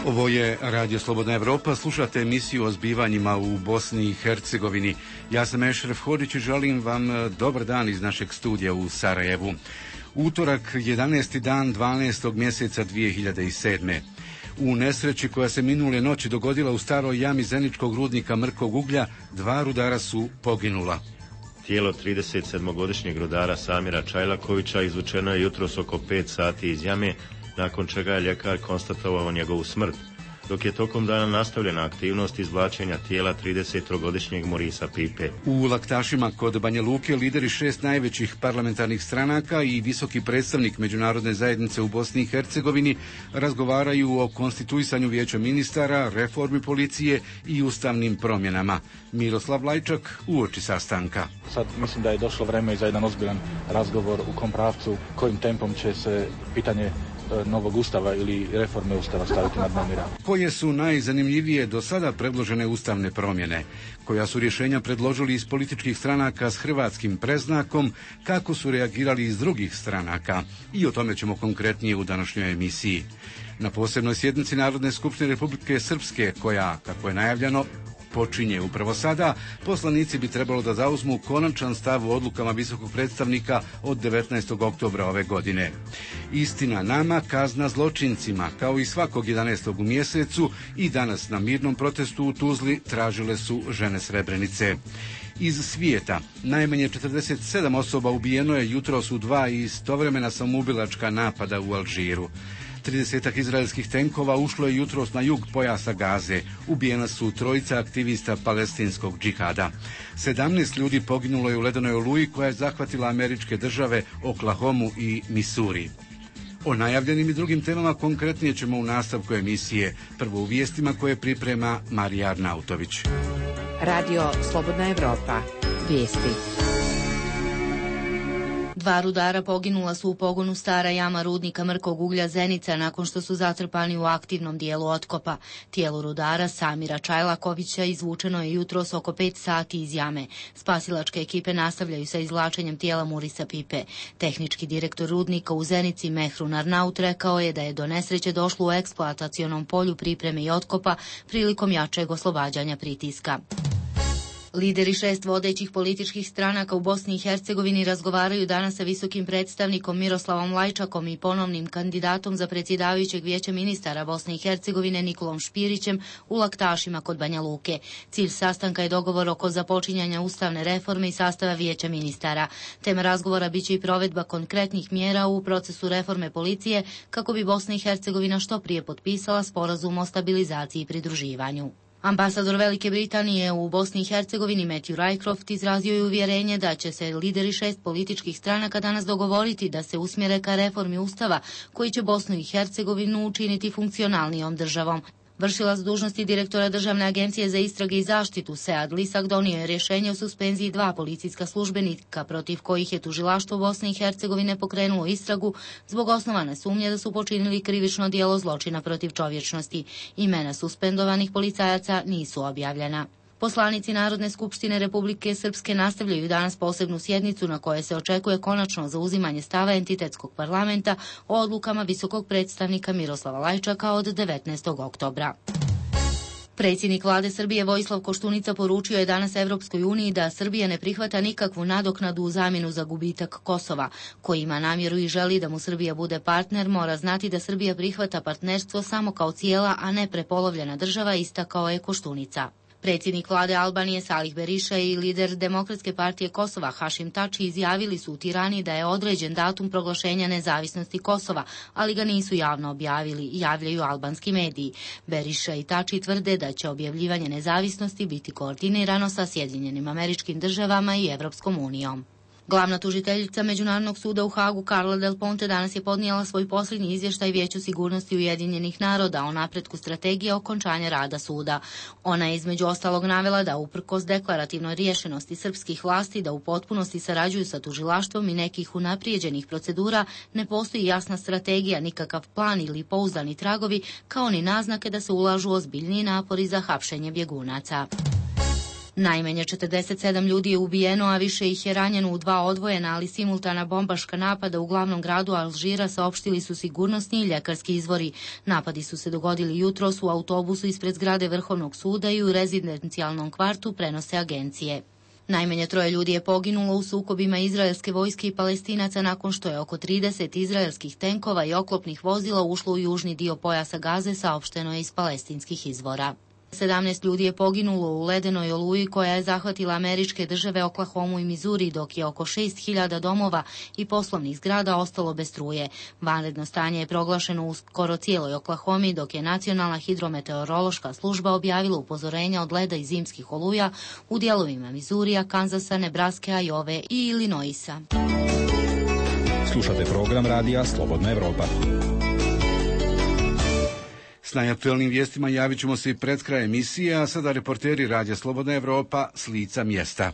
Ovo je Radio Slobodna Evropa, slušate emisiju o zbivanjima u Bosni i Hercegovini. Ja sam Ešref Hodić i želim vam dobar dan iz našeg studija u Sarajevu. Utorak, 11. dan 12. mjeseca 2007. U nesreći koja se minule noći dogodila u staroj jami zeničkog rudnika Mrkog uglja, 2 rudara su poginula. Tijelo 37-godišnjeg rudara Samira Čajlakovića izvučeno je jutros oko 5 sati iz jame, nakon čega je ljekar konstatovao njegovu smrt, dok je tokom dana nastavljena aktivnost izvlačenja tijela 30-godišnjeg Morisa Pipe. U Laktašima kod Banja Luke lideri 6 najvećih parlamentarnih stranaka i visoki predstavnik međunarodne zajednice u Bosni i Hercegovini razgovaraju o konstituisanju vijeća ministara, reformi policije i ustavnim promjenama. Miroslav Lajčak uoči sastanka. Sad mislim da je došlo vreme za jedan ozbiljan razgovor u kom pravcu, kojim tempom će se pitanje novog ustava ili reforme ustava staviti na dnevni red. Koje su najzanimljivije do sada predložene ustavne promjene? Koja su rješenja predložili iz političkih stranaka s hrvatskim predznakom? Kako su reagirali iz drugih stranaka? I o tome ćemo konkretnije u današnjoj emisiji. Na posebnoj sjednici Narodne skupštine Republike Srpske, koja, kako je najavljeno, počinje upravo sada, poslanici bi trebalo da zauzmu konačan stav u odlukama visokog predstavnika od 19. oktobra ove godine. Istina nama, kazna zločincima, kao i svakog 11. u mjesecu, i danas na mirnom protestu u Tuzli tražile su žene Srebrenice. Iz svijeta, najmanje 47 osoba ubijeno je jutros u 2 istovremena samoubilačka napada u Alžiru. 30 izraelskih tenkova ušlo je jutros na jug pojasa Gaze. Ubijena su 3 aktivista palestinskog džihada. 17 ljudi poginulo je u ledenoj oluji koja je zahvatila američke države Oklahomu i Misuri. O najavljenim i drugim temama konkretnije ćemo u nastavku emisije. Prvo u vijestima koje priprema Marija Arnautović. Radio Slobodna Evropa. Vijesti. 2 rudara poginula su u pogonu stara jama rudnika Mrkog uglja Zenica nakon što su zatrpani u aktivnom dijelu otkopa. Tijelo rudara Samira Čajlakovića izvučeno je jutros oko 5 sati iz jame. Spasilačke ekipe nastavljaju sa izvlačenjem tijela Morisa Pipe. Tehnički direktor rudnika u Zenici Mehrun Arnaut rekao je da je do nesreće došlo u eksploatacionom polju pripreme i otkopa prilikom jačeg oslobađanja pritiska. Lideri 6 vodećih političkih stranaka u Bosni i Hercegovini razgovaraju danas sa visokim predstavnikom Miroslavom Lajčakom i ponovnim kandidatom za predsjedavajućeg vijeća ministara Bosne i Hercegovine Nikolom Špirićem u Laktašima kod Banja Luke. Cilj sastanka je dogovor oko započinjanja ustavne reforme i sastava vijeća ministara. Tema razgovora biće i provedba konkretnih mjera u procesu reforme policije kako bi Bosna i Hercegovina što prije potpisala sporazum o stabilizaciji i pridruživanju. Ambasador Velike Britanije u Bosni i Hercegovini Matthew Rycroft izrazio je uvjerenje da će se lideri 6 političkih stranaka danas dogovoriti da se usmjere ka reformi ustava koji će Bosnu i Hercegovinu učiniti funkcionalnijom državom. Vršilac dužnosti direktora Državne agencije za istrage i zaštitu Sead Lisak donio je rješenje o suspenziji 2 policijska službenika protiv kojih je tužilaštvo Bosne i Hercegovine pokrenulo istragu zbog osnovane sumnje da su počinili krivično djelo zločina protiv čovječnosti. Imena suspendovanih policajaca nisu objavljena. Poslanici Narodne skupštine Republike Srpske nastavljaju danas posebnu sjednicu na kojoj se očekuje konačno zauzimanje stava entitetskog parlamenta o odlukama visokog predstavnika Miroslava Lajčaka od 19. oktobra. Predsjednik vlade Srbije Vojislav Koštunica poručio je danas Evropskoj uniji da Srbija ne prihvata nikakvu nadoknadu u zamjenu za gubitak Kosova. Ko ima namjeru i želi da mu Srbija bude partner, mora znati da Srbija prihvata partnerstvo samo kao cijela, a ne prepolovljena država, istakao je Koštunica. Predsjednik vlade Albanije Salih Berisha i lider Demokratske partije Kosova Hašim Tači izjavili su u Tirani da je određen datum proglašenja nezavisnosti Kosova, ali ga nisu javno objavili, javljaju albanski mediji. Berisha i Tači tvrde da će objavljivanje nezavisnosti biti koordinirano sa Sjedinjenim Američkim Državama i Evropskom unijom. Glavna tužiteljica Međunarodnog suda u Hagu Carla Del Ponte danas je podnijela svoj posljednji izvještaj Vijeću sigurnosti Ujedinjenih naroda o napretku strategije okončanja rada suda. Ona je između ostalog navela da uprkos deklarativnoj riješenosti srpskih vlasti da u potpunosti sarađuju sa tužilaštvom i nekih unaprijeđenih procedura, ne postoji jasna strategija, nikakav plan ili pouzdani tragovi, kao ni naznake da se ulažu ozbiljniji napori za hapšenje bjegunaca. Najmanje 47 ljudi je ubijeno, a više ih je ranjeno u 2 odvojena, ali simultana bombaška napada u glavnom gradu Alžira, saopštili su sigurnosni i ljekarski izvori. Napadi su se dogodili jutros u autobusu ispred zgrade Vrhovnog suda i u rezidencijalnom kvartu, prenose agencije. Najmanje 3 ljudi je poginulo u sukobima izraelske vojske i Palestinaca nakon što je oko 30 izraelskih tenkova i oklopnih vozila ušlo u južni dio pojasa Gaze, saopšteno je iz palestinskih izvora. 17 ljudi je poginulo u ledenoj oluji koja je zahvatila američke države Oklahomu i Mizuri, dok je oko 6.000 domova i poslovnih zgrada ostalo bez struje. Vanredno stanje je proglašeno u skoro cijeloj Oklahomi, dok je Nacionalna hidrometeorološka služba objavila upozorenja od leda i zimskih oluja u dijelovima Mizurija, Kanzasa, Nebraske, Ajove i Illinoisa. Slušate program radija Slobodna Evropa. S najaktuelnim vijestima javit ćemo se i pred kraj emisije, a sada reporteri radija Slobodna Evropa s lica mjesta.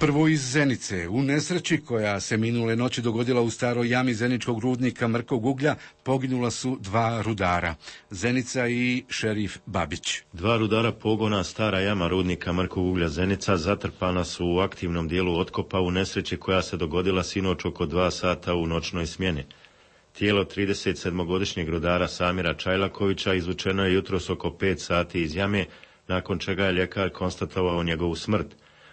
Prvo iz Zenice. U nesreći koja se minule noći dogodila u staroj jami zeničkog rudnika Mrkog uglja poginula su 2 rudara, Zenica i šerif Babić. 2 rudara pogona stara jama rudnika Mrkog uglja Zenica zatrpana su u aktivnom dijelu otkopa u nesreći koja se dogodila sinoć oko 2 sata u noćnoj smjeni. Tijelo 37-godišnjeg rudara Samira Čajlakovića izvučeno je jutros oko 5 sati iz jame, nakon čega je ljekar konstatovao njegovu smrt,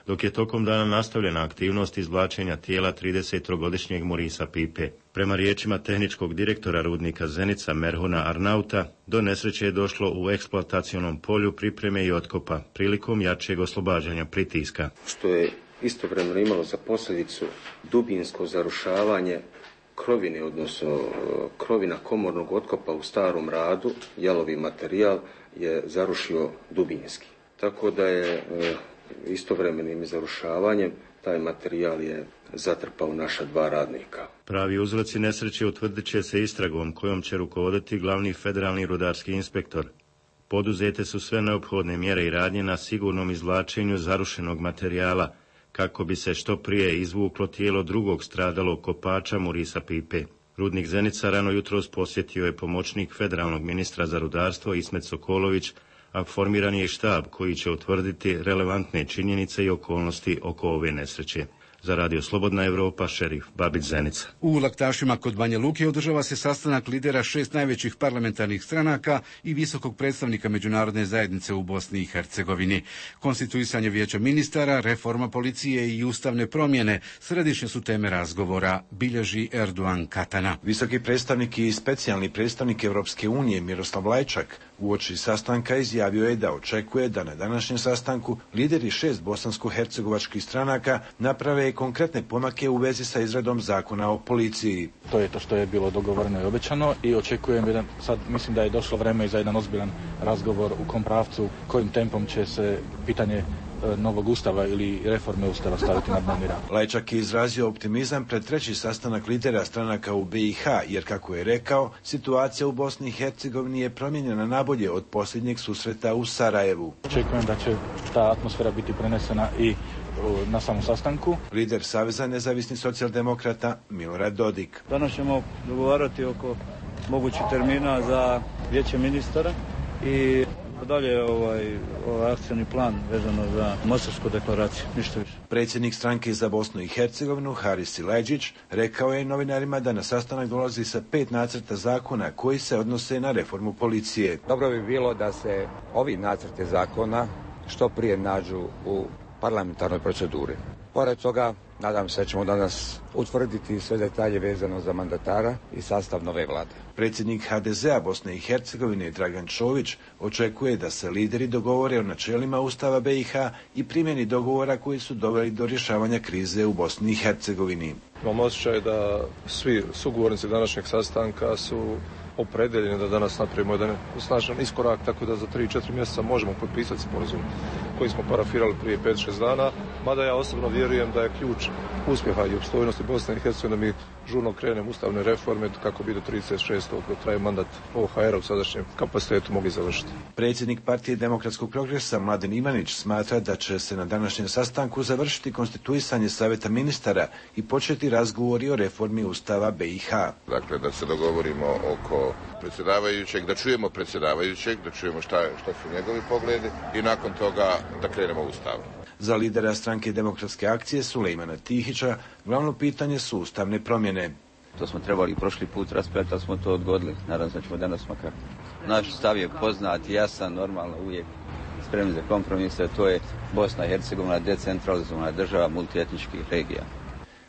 dok je tokom dana nastavljena aktivnost izvlačenja tijela 30-godišnjeg Morisa Pipe. Prema riječima tehničkog direktora rudnika Zenica Merhuna Arnauta, do nesreće je došlo u eksploatacionom polju pripreme i otkopa, prilikom jačeg oslobađanja pritiska. Što je istovremeno imalo za posljedicu dubinsko zarušavanje krovine, odnosno krovina komornog otkopa u starom radu, jalovi materijal je zarušio dubinski. Tako da je istovremenim zarušavanjem taj materijal je zatrpao naša 2 radnika. Pravi uzroci nesreće utvrdit će se istragom kojom će rukovoditi glavni federalni rudarski inspektor. Poduzete su sve neophodne mjere i radnje na sigurnom izvlačenju zarušenog materijala, kako bi se što prije izvuklo tijelo drugog stradalog kopača Morisa Pipe. Rudnik Zenica rano jutros posjetio je pomoćnik federalnog ministra za rudarstvo Ismet Sokolović, a formiran je štab koji će utvrditi relevantne činjenice i okolnosti oko ove nesreće. Za Radio Slobodna Evropa, šerif Babić Zenica. U Laktašima kod Banja Luke održava se sastanak lidera 6 najvećih parlamentarnih stranaka i visokog predstavnika međunarodne zajednice u Bosni i Hercegovini. Konstituisanje vijeća ministara, reforma policije i ustavne promjene središnje su teme razgovora, bilježi Erdogan Katana. Visoki predstavnik i specijalni predstavnik Evropske unije Miroslav Lajčak uoči sastanka izjavio je da očekuje da na današnjem sastanku lideri 6 bosansko-hercegovačkih stranaka naprave konkretne pomake u vezi sa izradom zakona o policiji. To je to što je bilo dogovoreno i obećano i očekujem sad mislim da je došlo vreme za jedan ozbiljan razgovor u kom pravcu, kojim tempom će se pitanje novog ustava ili reforme ustava staviti na dnevni rad. Lajčak je izrazio optimizam pred 3. sastanak lidera stranaka u BiH, jer kako je rekao, situacija u Bosni i Hercegovini je promijenjena nabolje od posljednjeg susreta u Sarajevu. Očekujem da će ta atmosfera biti prenesena i na samom sastanku. Lider Saveza nezavisnih socijaldemokrata Milorad Dodik. Danas ćemo dogovarati oko mogućih termina za vijeće ministara i dalje ovaj akcijni plan vezano za Mostarsku deklaraciju, ništa više. Predsjednik stranke za Bosnu i Hercegovinu Haris Silajdžić rekao je novinarima da na sastanak dolazi sa 5 nacrta zakona koji se odnose na reformu policije. Dobro bi bilo da se ovi nacrti zakona što prije nađu u parlamentarnoj proceduri. Pored toga, nadam se da ćemo danas utvrditi sve detalje vezano za mandatara i sastav nove vlade. Predsjednik HDZ-a Bosne i Hercegovine Dragan Čović očekuje da se lideri dogovore o načelima Ustava BiH i primjeni dogovora koji su doveli do rješavanja krize u Bosni i Hercegovini. Imam osjećaj da svi sugovornici današnjeg sastanka su opredeljeni da danas napravimo jedan snažan iskorak, tako da za 3-4 mjeseca možemo potpisati sporazum koji smo parafirali prije 5-6 dana, mada ja osobno vjerujem da je ključ uspjeha i opstojnosti Bosne i Hercegovine da mi žurno krenemo ustavne reforme kako bi do 36. dok traje mandat OHR-a u sadašnjem kapacitetu mogli završiti. Predsjednik Partije demokratskog progresa Mladen Ivanić smatra da će se na današnjem sastanku završiti konstituisanje Savjeta ministara i početi razgovori o reformi Ustava BiH. Dakle, da se dogovorimo oko prvo predsjedavajućeg, da čujemo predsjedavajućeg, da čujemo šta su njegovi pogledi i nakon toga da krenemo u stav. Za lidera stranke Demokratske akcije Sulejmana Tihića glavno pitanje su ustavne promjene. To smo trebali prošli put raspravljati, ali smo to odgodili. Naravno da ćemo danas makar. Naš stav je poznat, jasan, normalno, uvijek spremni za kompromise. To je Bosna i Hercegovina, decentralizovana država multietničkih regija.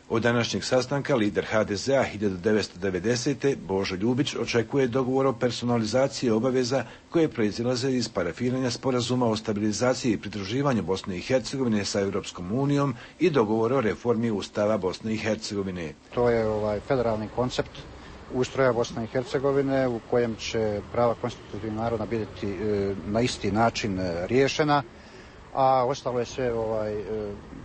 Od današnjeg sastanka lider HDZ-a 1990. Božo Ljubić očekuje dogovor o personalizaciji obaveza koje proizilaze iz parafiranja sporazuma o stabilizaciji i pridruživanju Bosne i Hercegovine sa Europskom unijom i dogovor o reformi Ustava Bosne i Hercegovine. To je federalni koncept ustroja Bosne i Hercegovine u kojem će prava konstitutivnih naroda biti na isti način riješena, a ostalo je sve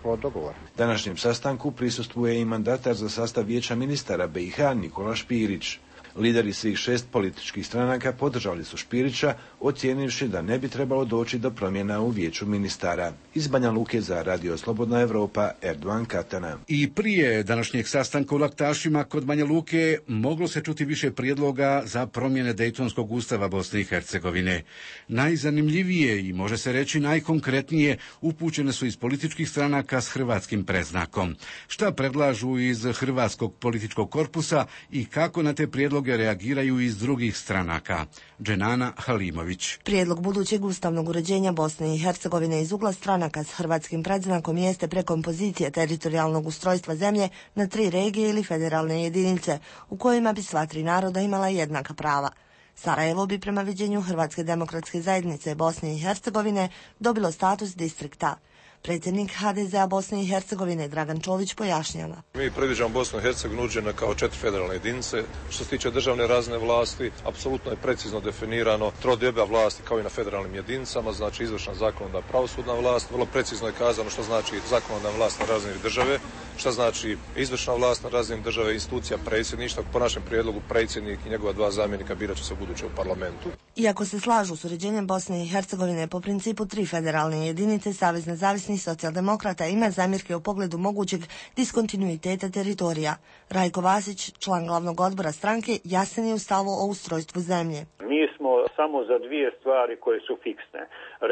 pod dogovor. Današnjem sastanku prisustvuje i mandatar za sastav Vijeća ministara BiH Nikola Špirić. Lideri svih 6 političkih stranaka podržali su Špirića, ocijenivši da ne bi trebalo doći do promjena u Vijeću ministara. Iz Banja Luke za Radio Slobodna Evropa, Erdogan Katana. I prije današnjeg sastanka u Laktašima kod Banja Luke moglo se čuti više prijedloga za promjene Dejtonskog ustava Bosne i Hercegovine. Najzanimljivije i može se reći najkonkretnije upućene su iz političkih stranaka s hrvatskim predznakom. Šta predlažu iz hrvatskog političkog korpusa i kako na te prijedloge reagiraju iz drugih stranaka? Dženana Halimović. Prijedlog budućeg ustavnog uređenja Bosne i Hercegovine iz ugla stranaka s hrvatskim predznakom jeste prekompozicija teritorijalnog ustrojstva zemlje na 3 regije ili federalne jedinice, u kojima bi sva 3 naroda imala jednaka prava. Sarajevo bi prema viđenju Hrvatske demokratske zajednice Bosne i Hercegovine dobilo status distrikta. Predsjednik HDZ-a Bosne i Hercegovine Dragan Čović pojašnjava. Mi predviđamo Bosnu i Hercegovinu uđene kao 4 federalne jedinice. Što se tiče državne razine vlasti, apsolutno je precizno definirano trodioba vlasti kao i na federalnim jedinicama, znači izvršna, zakonodavna, pravosudna vlast. Vrlo precizno je kazano što znači zakonodavna vlast na razini države, šta znači izvršna vlast na razini države, institucija predsjedništva. Po našem prijedlogu predsjednik i njegova 2 zamjenika birat će se ubuduće u parlamentu. Iako se slažu s uređenjem Bosne i Hercegovine po principu 3 federalne jedinice, Savez nezavisnih socijaldemokrata ima zamjerke u pogledu mogućeg diskontinuiteta teritorija. Rajko Vasić, član glavnog odbora stranke, jasan je u stavu o ustrojstvu zemlje. Mi smo samo za 2 stvari koje su fiksne.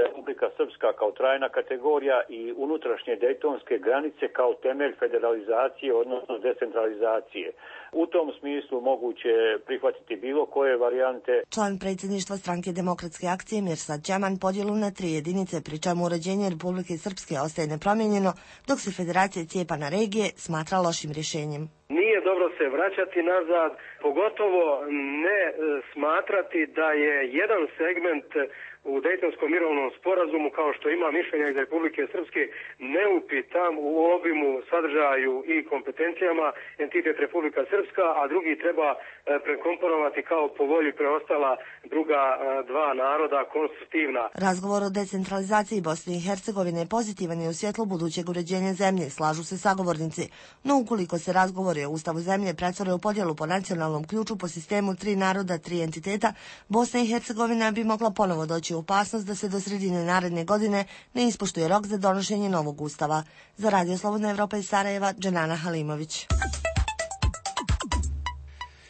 Republika Srpska kao trajna kategorija i unutrašnje dejtonske granice kao temelj federalizacije, odnosno decentralizacije. U tom smislu moguće prihvatiti bilo koje varijante. Član predsjedništva stranke Demokratske akcije Mirsad Đaman podjelu na 3 jedinice, pri čemu uređenje Republike Srpske ostaje nepromijenjeno, dok se federacija cijepa na regije smatra lošim rješenjem. Nije dobro se vraćati nazad, pogotovo ne smatrati da je jedan segment u Dejtonskom mirovnom sporazumu, kao što ima mišljenja iz Republike Srpske, neupitan u obimu, sadržaju i kompetencijama entitet Republika Srpska, a drugi treba prekomponovati kao po volji preostala druga 2 naroda konstitutivna. Razgovor o decentralizaciji Bosne i Hercegovine pozitivan je u svjetlu budućeg uređenja zemlje, slažu se sagovornici. No ukoliko se razgovori o ustavu zemlje pretvore u podjelu po nacionalnom ključu po sistemu 3 naroda, 3 entiteta, Bosna i Hercegovina bi mogla ponovo doći u opasnost da se do sredine naredne godine ne ispoštuje rok za donošenje novog ustava. Za Radio Slobodna Evropa iz Sarajeva, Dženana Halimović.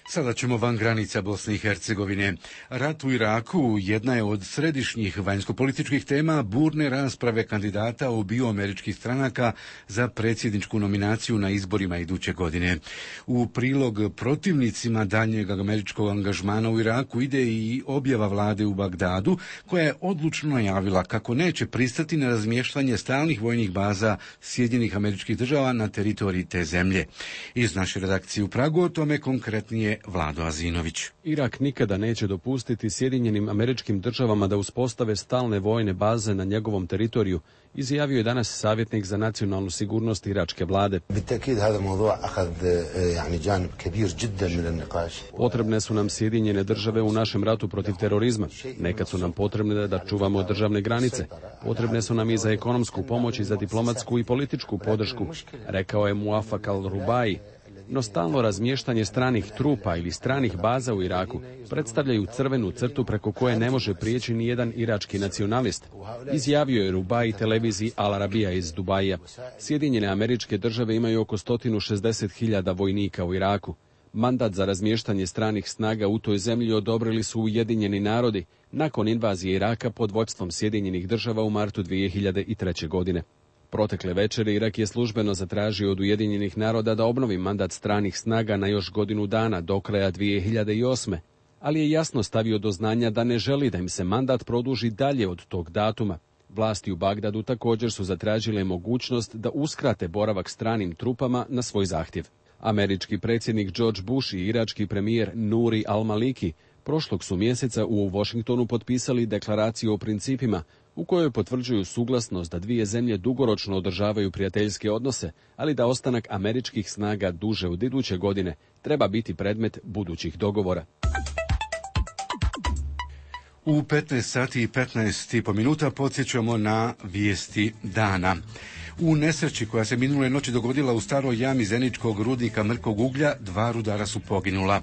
Sada ćemo van granica Bosne i Hercegovine. Rat u Iraku jedna je od središnjih vanjskopolitičkih tema burne rasprave kandidata obiju američkih stranaka za predsjedničku nominaciju na izborima iduće godine. U prilog protivnicima daljnjeg američkog angažmana u Iraku ide i objava vlade u Bagdadu, koja je odlučno najavila kako neće pristati na razmještanje stalnih vojnih baza Sjedinjenih Američkih Država na teritoriji te zemlje. Iz naše redakcije u Pragu o tome konkretnije Vlado Azinović. Irak nikada neće dopustiti Sjedinjenim Američkim Državama da uspostave stalne vojne baze na njegovom teritoriju, izjavio je danas savjetnik za nacionalnu sigurnost iračke vlade. Potrebne su nam Sjedinjene Države u našem ratu protiv terorizma. Nekad su nam potrebne da čuvamo državne granice. Potrebne su nam i za ekonomsku pomoć i za diplomatsku i političku podršku, rekao je Muafak al-Rubai. No stalno razmještanje stranih trupa ili stranih baza u Iraku predstavljaju crvenu crtu preko koje ne može prijeći ni jedan irački nacionalist, izjavio je Rubai televiziji Al Arabija iz Dubaija. Sjedinjene Američke Države imaju oko 160.000 vojnika u Iraku. Mandat za razmještanje stranih snaga u toj zemlji odobrili su Ujedinjeni narodi nakon invazije Iraka pod vođstvom Sjedinjenih država u martu 2003. godine. Protekle večeri Irak je službeno zatražio od Ujedinjenih naroda da obnovi mandat stranih snaga na još godinu dana do kraja 2008. ali je jasno stavio do znanja da ne želi da im se mandat produži dalje od tog datuma. Vlasti u Bagdadu također su zatražile mogućnost da uskrate boravak stranim trupama na svoj zahtjev. Američki predsjednik George Bush i irački premijer Nuri al-Maliki prošlog su mjeseca u Washingtonu potpisali deklaraciju o principima u kojoj potvrđuju suglasnost da dvije zemlje dugoročno održavaju prijateljske odnose, ali da ostanak američkih snaga duže od iduće godine treba biti predmet budućih dogovora. U 15 sati i 15,5 minuta podsjećamo na vijesti dana. U nesreći koja se minule noći dogodila u staroj jami zeničkog rudnika mrkog uglja, 2 rudara su poginula.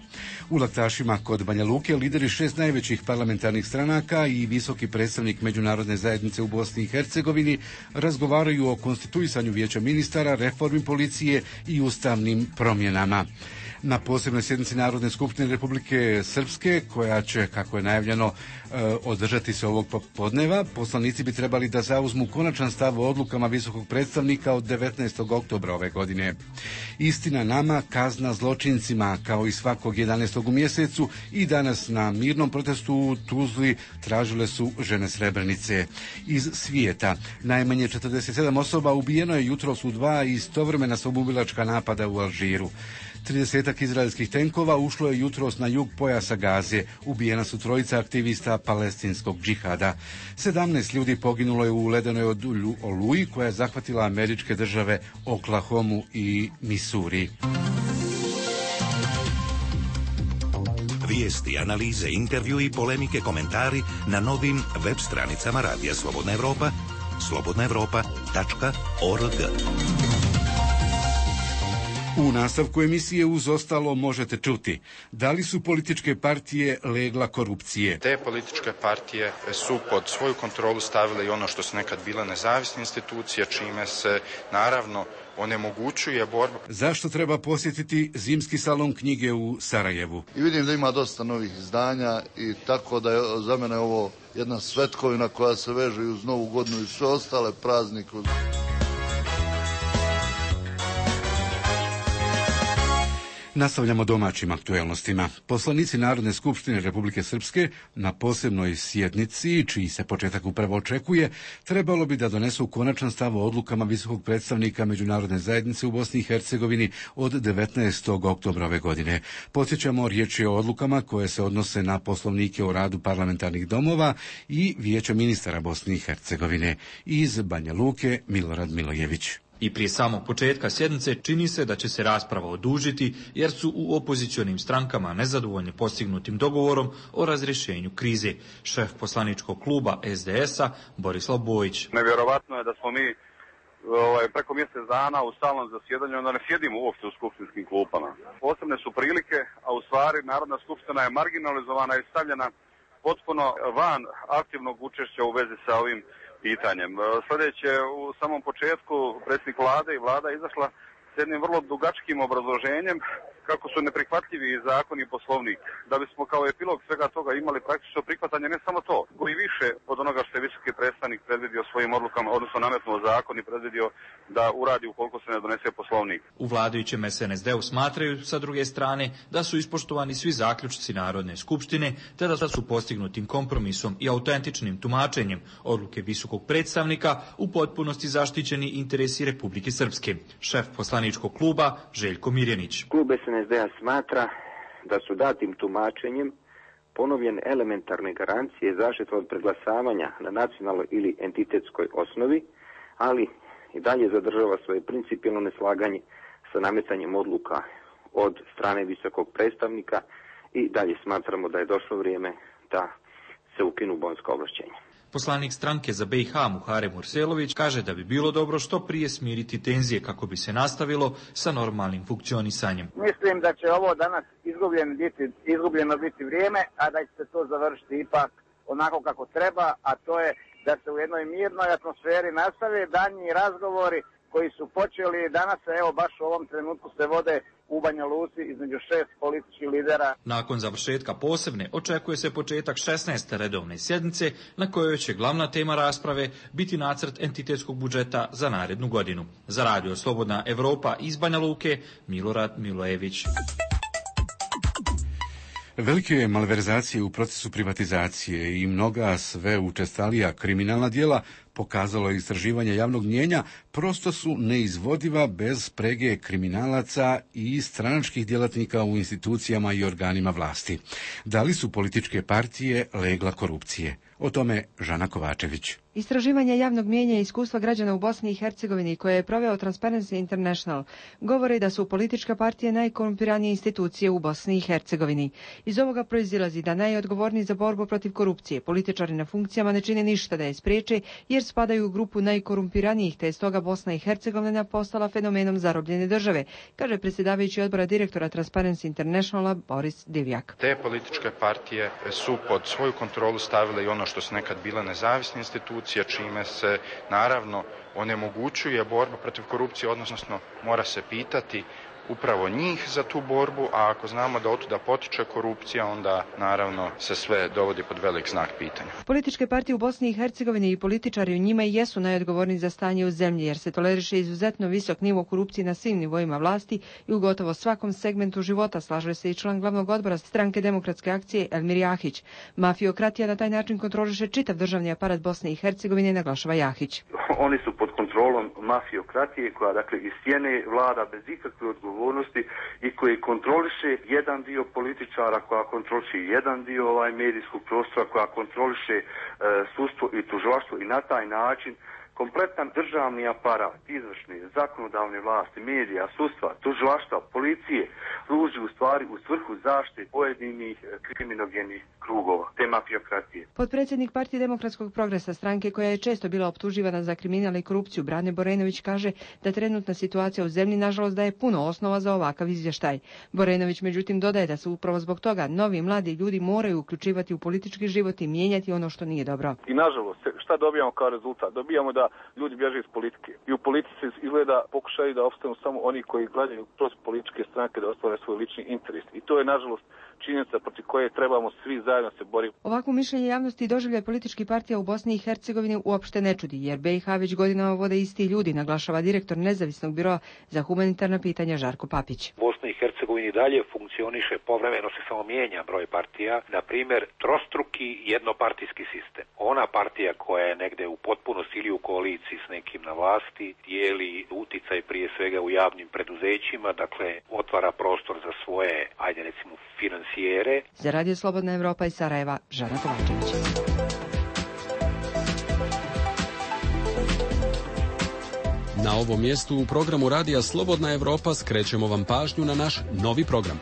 U Laktašima kod Banja Luke lideri 6 najvećih parlamentarnih stranaka i visoki predstavnik međunarodne zajednice u Bosni i Hercegovini razgovaraju o konstituisanju vijeća ministara, reformi policije i ustavnim promjenama. Na posebnoj sjednici Narodne skupštine Republike Srpske, koja će, kako je najavljeno, održati se ovog popodneva, poslanici bi trebali da zauzmu konačan stav o odlukama visokog predstavnika od 19. oktobra ove godine. Istina nama, kazna zločincima, kao i svakog 11. u mjesecu, i danas na mirnom protestu u Tuzli tražile su žene Srebrenice. Iz svijeta najmanje 47 osoba ubijeno je jutros u 2 istovremena samoubilačka napada u Alžiru. 30 izraelskih tenkova ušlo je jutros na jug pojasa Gaze. Ubijena su 3 aktivista palestinskog džihada. 17 ljudi poginulo je u ledenoj oluji koja je zahvatila američke države Oklahomu i Misuri. Vijesti, analize, intervju i polemike, komentari na novim web stranicama Radija Slobodna Evropa, slobodnaevropa.org. U nastavku emisije uz ostalo možete čuti da li su političke partije legla korupcije. Te političke partije su pod svoju kontrolu stavile i ono što su nekad bile nezavisne institucije, čime se naravno onemogućuje borba. Zašto treba posjetiti zimski salon knjige u Sarajevu? I vidim da ima dosta novih izdanja i tako da je za mene ovo jedna svetkovina koja se veže uz Novu godinu i sve ostale praznike. Nastavljamo domaćim aktuelnostima. Poslanici Narodne skupštine Republike Srpske na posebnoj sjednici, čiji se početak upravo očekuje, trebalo bi da donesu konačan stav o odlukama visokog predstavnika međunarodne zajednice u Bosni i Hercegovini od 19. oktobra ove godine. Podsjećamo, riječ je o odlukama koje se odnose na poslovnike o radu parlamentarnih domova i vijeća ministara Bosne i Hercegovine. Iz Banja Luke, Milorad Milojević. I prije samog početka sjednice čini se da će se rasprava odužiti jer su u opozicionim strankama nezadovoljni postignutim dogovorom o razrješenju krize. Šef poslaničkog kluba SDS-a Borislav Bojić. Nevjerovatno je da smo mi preko mjesec dana u stalnom zasjedanju, onda ne sjedimo uopšte u skupštinskim klupama. Posebne su prilike, a u stvari Narodna skupština je marginalizovana i stavljena potpuno van aktivnog učešća u vezi sa ovim pitanjem. Sljedeće, u samom početku predsjednik vlade i vlada izašla s jednim vrlo dugačkim obrazloženjem kako su neprihvatljivi zakon i poslovnik. Da bismo kao epilog svega toga imali praktično prihvatanje ne samo to, koji više od onoga što je visoki predstavnik predvidio svojim odlukama, odnosno nametnuo zakon i predvidio da uradi ukoliko se ne donese poslovnik. U vladajućem SNSD-u smatraju sa druge strane da su ispoštovani svi zaključci Narodne skupštine, te da su postignutim kompromisom i autentičnim tumačenjem odluke visokog predstavnika u potpunosti zaštićeni interesi Republike Srpske. Šef poslaničkog kluba Željko Mirjanić. Klub SNSD-a smatra da su datim tumačenjem ponovljene elementarne garancije zaštite od preglasavanja na nacionalnoj ili entitetskoj osnovi, ali i dalje zadržava svoje principijelno neslaganje sa nametanjem odluka od strane visokog predstavnika i dalje smatramo da je došlo vrijeme da se ukinu bonska ovlašćenja. Poslanik stranke za BiH Muharem Urselović kaže da bi bilo dobro što prije smiriti tenzije kako bi se nastavilo sa normalnim funkcionisanjem. Mislim da će ovo danas izgubljeno biti vrijeme, a da će se to završiti ipak onako kako treba, a to je da se u jednoj mirnoj atmosferi nastave daljnji razgovori koji su počeli danas, evo baš u ovom trenutku se vode u Banja Luci između 6 političkih lidera. Nakon završetka posebne očekuje se početak 16. redovne sjednice na kojoj će glavna tema rasprave biti nacrt entitetskog budžeta za narednu godinu. Za radio Slobodna Evropa iz Banja Luke, Milorad Milojević. Velike malverzacije u procesu privatizacije i mnoga sve učestalija kriminalna djela, pokazalo je istraživanje javnog mnijenja, prosto su neizvodiva bez sprege kriminalaca i stranačkih djelatnika u institucijama i organima vlasti. Da li su političke partije legla korupcije? O tome Žana Kovačević. Istraživanje javnog mnijenja i iskustva građana u Bosni i Hercegovini koje je proveo Transparency International govori da su političke partije najkorumpiranije institucije u Bosni i Hercegovini. Iz ovoga proizilazi da najodgovorniji za borbu protiv korupcije političari na funkcijama ne čine ništa da je spriječe jer spadaju u grupu najkorumpiranijih, te je stoga Bosna i Hercegovina postala fenomenom zarobljene države, kaže predsjedavajući odbora direktora Transparency Internationala Boris Divjak. Te političke partije su pod svoju kontrolu stavile i ono što su nekad bile nezavisne institucije, čime se naravno onemogućuje borba protiv korupcije, odnosno mora se pitati upravo njih za tu borbu, a ako znamo da otuda potiče korupcija, onda naravno se sve dovodi pod velik znak pitanja. Političke partije u Bosni i Hercegovini i političari u njima i jesu najodgovorniji za stanje u zemlji, jer se toleriše izuzetno visok nivo korupcije na svim nivoima vlasti i u gotovo svakom segmentu života, slaže se i član glavnog odbora Stranke demokratske akcije Elmir Jahić. Mafiokratija na taj način kontroliše čitav državni aparat Bosne i Hercegovine, naglašava Jahić. Oni su pod kontrolom mafiokratije koja dakle iz sjene vlada bez ikakve odgovornosti i koji kontroliše jedan dio političara, koja kontroliše jedan dio medijskog prostora, koja kontroliše sudstvo i tužilaštvo i na taj način kompletan državni aparat, izvršne, zakonodavne vlasti, medija, sudstva, tužilaštva, policije, služi u stvari u svrhu zaštite pojedinih kriminogenih krugova, te mafiokratije. Potpredsjednik Partije demokratskog progresa, stranke koja je često bila optuživana za kriminal i korupciju, Brane Borenović kaže da trenutna situacija u zemlji nažalost daje puno osnova za ovakav izvještaj. Borenović međutim dodaje da se upravo zbog toga novi mladi ljudi moraju uključivati u politički život i mijenjati ono što nije dobro. I nažalost, šta dobijamo kao rezultat? Dobijamo da ljudi bježe iz politike. I u politici izgleda pokušaju da opstanu samo oni koji gledaju kroz političke stranke da ostvare svoj lični interes. I to je nažalost činjenica protiv koje trebamo svi zajedno se boriti. Ovakvo mišljenje javnosti i doživljaj političkih partija u Bosni i Hercegovini uopšte ne čudi, jer BiH već godinama vode isti ljudi, naglašava direktor nezavisnog biroa za humanitarna pitanja Žarko Papić. Bosna i Hercegovini dalje funkcioniše, povremeno se samo mijenja broj partija, na primjer trostruki jednopartijski sistem. Ona partija koja je negde u potpunosti ili u koaliciji s nekim na vlasti, dijeli uticaj prije svega u javnim preduzećima, dakle otvara prostor za svoje, ajde recimo, financijere. Za Radio Slobodna Evropa iz Sarajeva, Žana Kovačević. Na ovom mjestu u programu Radija Slobodna Evropa skrećemo vam pažnju na naš novi program.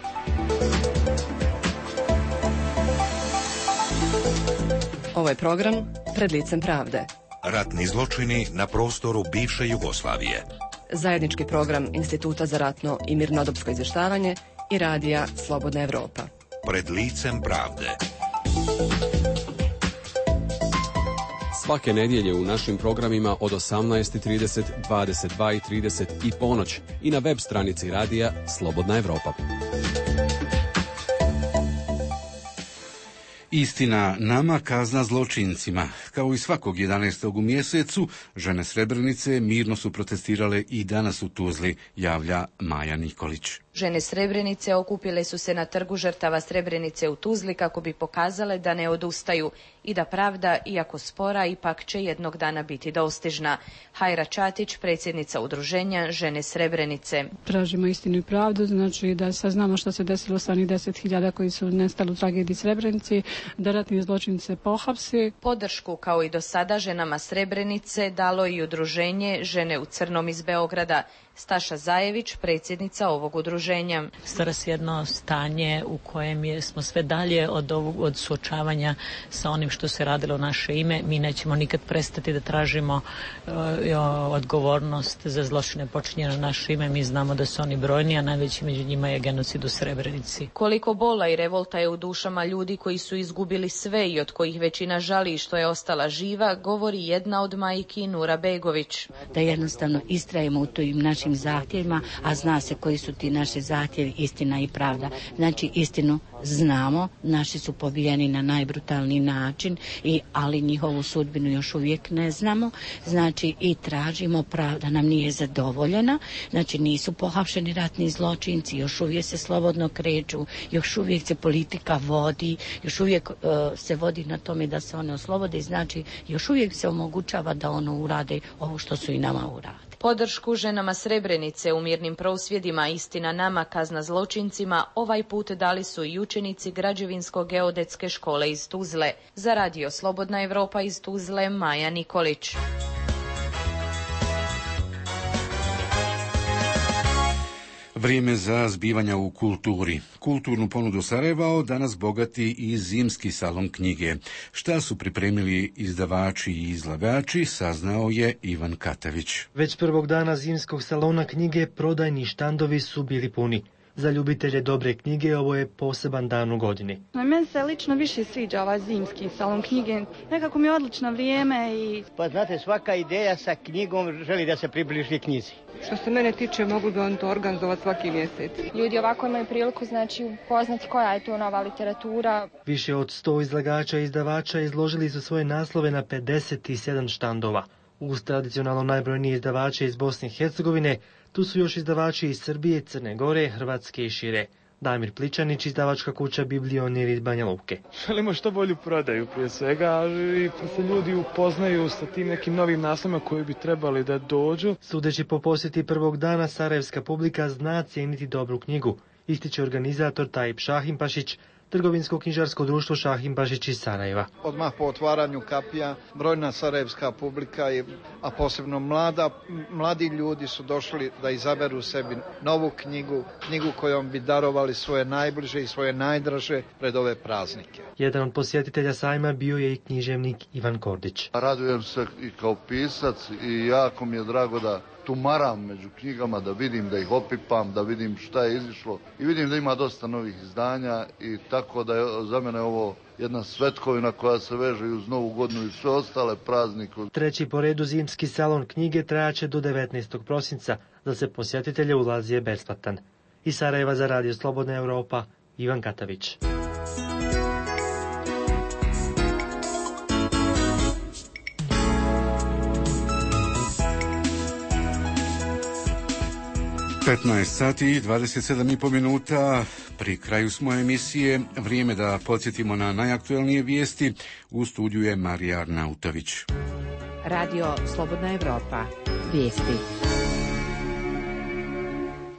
Ovo je program Pred licem pravde. Ratni zločini na prostoru bivše Jugoslavije. Zajednički program Instituta za ratno i mirnodopsko izvještavanje i Radija Slobodna Evropa. Pred licem pravde. Svake nedjelje u našim programima od 18:30, 22:30 i ponoć i na web stranici Radija Slobodna Evropa. Istina nama, kazna zločincima. Kao i svakog 11. u mjesecu, žene Srebrenice mirno su protestirale i danas u Tuzli, javlja Maja Nikolić. Žene Srebrenice okupile su se na trgu žrtava Srebrenice u Tuzli kako bi pokazale da ne odustaju i da pravda, iako spora, ipak će jednog dana biti dostižna. Hajra Čatić, predsjednica udruženja Žene Srebrenice. Tražimo istinu i pravdu, znači da saznamo što se desilo sa onih 10.000 koji su nestali u tragediji Srebrenici, da ratni zločince pohapsi. Podršku kao i do sada ženama Srebrenice dalo i udruženje Žene u crnom iz Beograda. Staša Zajević, predsjednica ovog udruženja. Stvara se jedno stanje u kojem smo sve dalje od suočavanja sa onim što se radilo u naše ime. Mi nećemo nikad prestati da tražimo odgovornost za zločine počinjene na naše ime. Mi znamo da su oni brojni, a najveći među njima je genocid u Srebrenici. Koliko bola i revolta je u dušama ljudi koji su izgubili sve i od kojih većina žali što je ostalo ostala živa, govori jedna od majki Nura Begović. Da jednostavno istrajemo u tim našim zahtjevima, a zna se koji su ti naši zahtjevi, istina i pravda. Znači istinu znamo, naši su pobijeni na najbrutalniji način, ali njihovu sudbinu još uvijek ne znamo. Znači i tražimo, pravda nam nije zadovoljena, znači nisu pohapšeni ratni zločinci, još uvijek se slobodno kreću, još uvijek se politika vodi, još uvijek se vodi na tome da se one oslobode, znači još uvijek se omogućava da ono urade ovo što su i nama uradili. Podršku ženama Srebrenice u mirnim prosvjedima Istina nama, kazna zločincima ovaj put dali su i učenici Građevinsko-geodetske škole iz Tuzle. Za Radio Slobodna Evropa iz Tuzle, Maja Nikolić. Vrijeme za zbivanja u kulturi. Kulturnu ponudu Sarajeva danas bogati i zimski salon knjige. Šta su pripremili izdavači i izlagači, saznao je Ivan Katavić. Već prvog dana zimskog salona knjige prodajni štandovi su bili puni. Za ljubitelje dobre knjige ovo je poseban dan u godini. Meni se lično više sviđa ovaj zimski salon knjige. Nekako mi je odlično vrijeme i... Pa znate, svaka ideja sa knjigom želi da se približi knjizi. Što se mene tiče, mogu bi on to organizovati svaki mjesec. Ljudi ovako imaju priliku, znači, upoznati koja je to nova literatura. Više od 100 izlagača i izdavača izložili su svoje naslove na 57 štandova. Uz tradicionalno najbrojnije izdavače iz Bosne i Hercegovine, tu su još izdavači iz Srbije, Crne Gore, Hrvatske i šire. Damir Pličanić, izdavačka kuća Biblionir iz Banja Luke. Želimo što bolju prodaju prije svega i se ljudi upoznaju sa tim nekim novim naslovima koji bi trebali da dođu. Sudeći po posjeti prvog dana, sarajevska publika zna cijeniti dobru knjigu, ističe organizator Tajip Šahimpašić, Trgovinsko-knjižarsko društvo Šahimpašić iz Sarajeva. Odmah po otvaranju kapija brojna sarajevska publika, a posebno mladi ljudi su došli da izaberu sebi novu knjigu kojom bi darovali svoje najbliže i svoje najdraže pred ove praznike. Jedan od posjetitelja sajma bio je i književnik Ivan Kordić. Radujem se i kao pisac i jako mi je drago da tumaram među knjigama, da vidim, da ih opipam, da vidim šta je izišlo i vidim da ima dosta novih izdanja i tako da je za mene ovo jedna svetkovina koja se veže uz Novu godinu i sve ostale praznike. Treći po redu zimski salon knjige trajaće do 19. prosinca, za se posjetitelje ulazi je besplatan. Iz Sarajeva za Radio Slobodna Evropa, Ivan Katavić. sati i 27,5 minuta, pri kraju smo emisije, vrijeme da podsjetimo na najaktuelnije vijesti. U studiju je Marija Arnautović. Radio Slobodna Evropa, vijesti.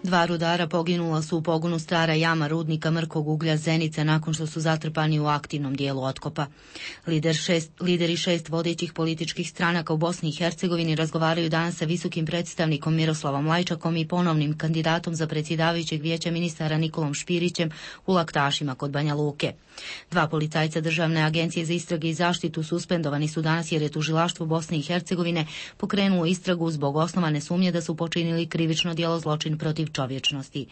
2 rudara poginula su u pogonu Stara jama rudnika mrkog uglja Zenica nakon što su zatrpani u aktivnom dijelu otkopa. Lideri 6 vodećih političkih stranaka u Bosni i Hercegovini razgovaraju danas sa visokim predstavnikom Miroslavom Lajčakom i ponovnim kandidatom za predsjedavajućeg vijeća ministara Nikolom Špirićem u Laktašima kod Banja Luke. 2 policajca Državne agencije za istrage i zaštitu suspendovani su danas jer je tužilaštvo Bosne i Hercegovine pokrenulo istragu zbog osnovane sumnje da su počinili krivično djelo zločin protiv čovječnosti.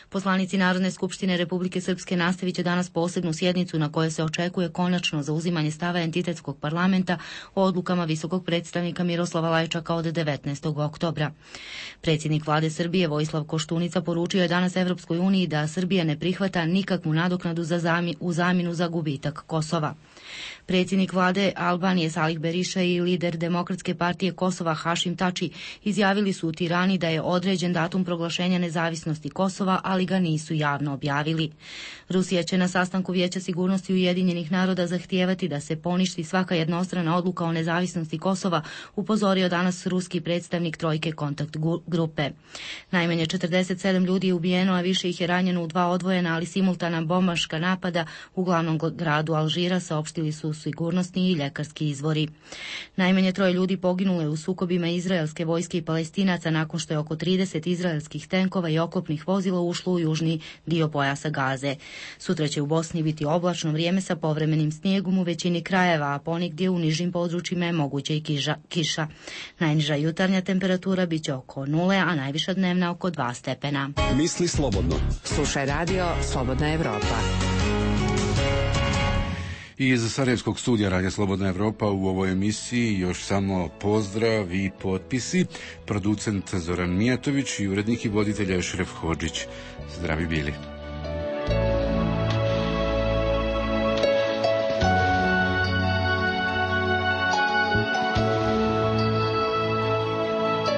Poslanici Narodne skupštine Republike Srpske nastavit će danas posebnu sjednicu na kojoj se očekuje konačno zauzimanje stava entitetskog parlamenta o odlukama visokog predstavnika Miroslava Lajčaka od 19. oktobra. Predsjednik vlade Srbije Vojislav Koštunica poručio je danas Evropskoj uniji da Srbija ne prihvata nikakvu nadoknadu u zamjenu za gubitak Kosova. Predsjednik vlade Albanije Salih Beriša i lider Demokratske partije Kosova Hašim Tači izjavili su u Tirani da je određen datum proglašenja nezavisnosti Kosova, ali ga nisu javno objavili. Rusija će na sastanku Vijeća sigurnosti Ujedinjenih naroda zahtijevati da se poništi svaka jednostrana odluka o nezavisnosti Kosova, upozorio danas ruski predstavnik trojke kontakt grupe. Najmanje 47 ljudi je ubijeno, a više ih je ranjeno u 2 odvojena, ali simultana bombaška napada u glavnom gradu Alžira, saopštili su sigurnosni i ljekarski izvori. Najmanje 3 ljudi poginulo je u sukobima izraelske vojske i Palestinaca nakon što je oko 30 izraelskih tenkova i oklopnih vozila ušlo u južni dio pojasa Gaze. Sutra će u Bosni biti oblačno vrijeme sa povremenim snijegom u većini krajeva, a ponegdje u nižim područjima je moguće i kiša. Najniža jutarnja temperatura bit će oko 0, a najviša dnevna oko 2 stepena. Misli slobodno. Slušaj Radio Slobodna Evropa. Iz Sarajevskog studija Radija Slobodna Evropa u ovoj emisiji još samo pozdrav i potpisi. Producent Zoran Mijatović i urednik i voditelj Ešref Hodžić. Zdravi bili.